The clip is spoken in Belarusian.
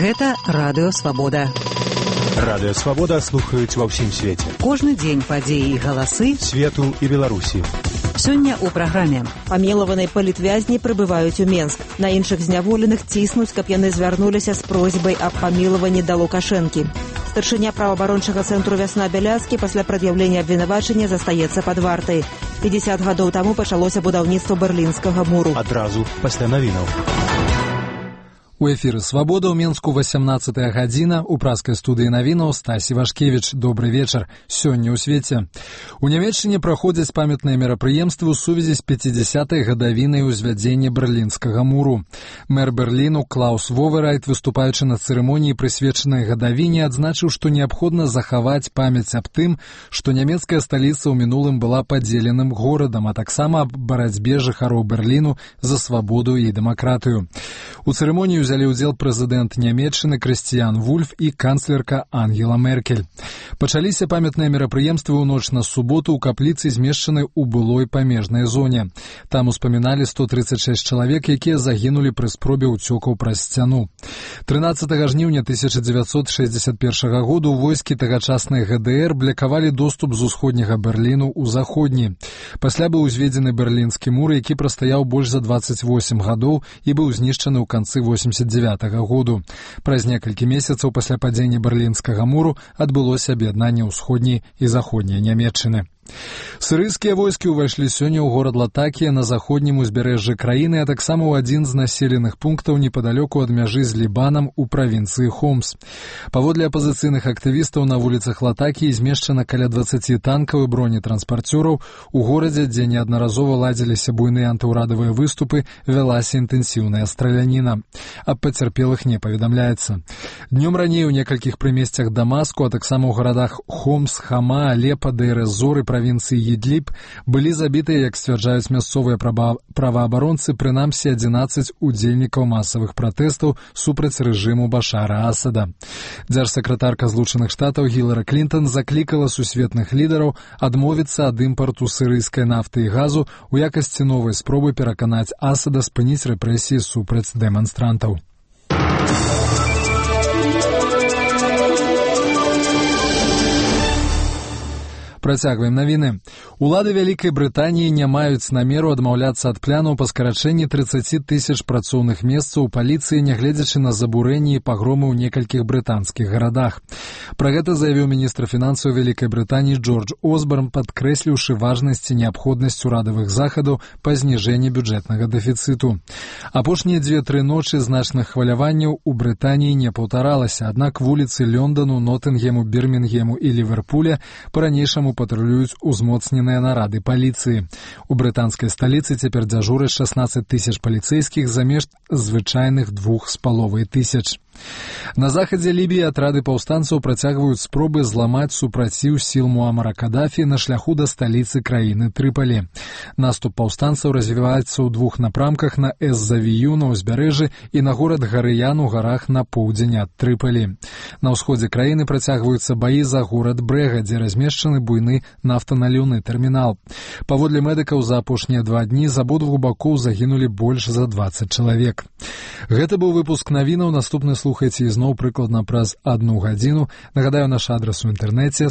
Гэта Радыё Свабода. Радыё Свабода слухаюць ва ўсім свеце. Кожны дзень падзеі і галасы свету і Беларусі. Сёння ў праграме. Памілаваныя палітвязні прыбываюць у Менск. На іншых зняволеных ціснуць, каб яны звярнуліся з просьбай аб памілаванні да Лукашэнкі. Старшыня праваабарончага цэнтру «Вясна» Бяляцкі пасля прад'яўлення абвінавачання застаецца пад вартай. 50 гадоў таму пачалося будаўніцтва Берлінскага муру. Адразу пасля навінаў. У эфіры «Свабода» ў Менску 18-я гадзіна. У праскай студыі навінаў Стасі Вашкевіч. Добры вечар. Сёння ў свеце. У Нямецчыне праходзяць памятныя мерапрыемствы ў сувязі з 50-й гадавінай узвядзення Берлінскага муру. Мэр Берліну Клаус Воверайт, выступаючы на цырымоніі, прысвечанай гадавіне, адзначыў, што неабходна захаваць памяць аб тым, што нямецкая сталіца ў минулым была падзеленым горадам, а таксама аб барацьбе жыхароў Берліну за свабоду і дэмакратыю. У цырымоніі взяли удзел прэзідэнт Нямецчыны Крыстыян Вульф і канцлерка Ангела Меркель. Пачаліся памятныя мерапрыемствы ў ноч на суботу ў капліцы, змешчанай у былой памежнай зоне. Там успаміналі 136 чалавек, якія загінулі пры спробе ўцёкаў праз сцяну. 13 жніўня 1961 году войскі тагачаснай ГДР блакавалі доступ з усходняга Берліну ў заходні. Пасля быў узведзены Берлінскі мур, які прастаяў больш за 28 гадоў і быў знішчаны ў канцы 89 году. Праз некалькі месяцаў пасля падзення Берлінскага муру адбылося аб'яднанне ўсходняй і заходняй Нямецчыны. Сірыйскія войскі ўвайшлі сёння ў горад Латакія на заходнім узбярэжжы краіны, а таксама ў адзін з населеных пунктаў непадалёку ад мяжы з Лібанам у правінцыі Хомс. Паводле апазіцыйных актывістаў, на вуліцах Латакіі змешчана каля 20 танкаў і бронетранспарцёраў. У горадзе, дзе неаднаразова ладзіліся буйныя антыўрадавыя выступы, вялася інтэнсіўная страляніна. Аб пацярпелых не паведамляецца. Днём раней у некалькіх прымесцях Дамаску, а таксама ў гарадах Хомс, Хама, Алепа, Дейр-эз-Зор і правінцыі Ідліб былі забітыя, як сцвярджаюць мясцовыя праваабаронцы, прынамсі 11 удзельнікаў масавых пратэстаў супраць рэжыму Башара Асада. Дзяржсакратарка Злучаных Штатаў Гілары Клінтон заклікала сусветных лідараў адмовіцца ад імпарту сірыйскай нафты і газу у якасці новай спробы пераканаць Асада спыніць рэпрэсіі супраць дэманстрантаў. Працягваем навіны. Улады Вялікай Брытаніі не маюць намеру адмаўляцца ад планаў па скарачэнні 30 тысяч працоўных месцаў у паліцыі, нягледзячы на забурэнні і пагромы ў некалькіх брытанскіх гарадах. Пра гэта заявіў міністр фінансаў Вялікай Брытаніі Джордж Осборн, падкрэсліўшы важнасць і неабходнасць урадавых захадаў па зніжэнні бюджэтнага дэфіцыту. Апошнія 2-3 ночы значных хваляванняў у Брытаніі не паўтаралася, аднак вуліцы Лондону, Нотынгему, Бірмінгему і Ліверпуля па-ранейшаму патрулююць узмоцненыя нарады паліцыі. У брытанскай сталіцы цяпер дзяжураць 16 тысяч паліцэйскіх замест звычайных 2,5 тысяч. На захадзе Лібіі атрады паўстанцаў працягваюць спробы зламаць супраціў сіл Муамара Кадафі на шляху да сталіцы краіны Трыпалі. Наступ паўстанцаў развіваецца ў 2 напрамках: на Эз-Завію на ўзбярэжжы і на горад Гарыян у гарах на поўдзень ад Трыпалі. На ўсходзе краіны працягваюцца баі за горад Брэга, дзе размешчаны буйны нафтаналіўны тэрмінал. Паводле медыкаў, за апошнія 2 дні з абодвух бакоў загінулі больш за 20 чалавек. Гэта быў выпуск навінаў. Наступны слухайце ізноў прыкладна праз 1 гадзіну. Нагадаю, наш адрас у інтэрнэце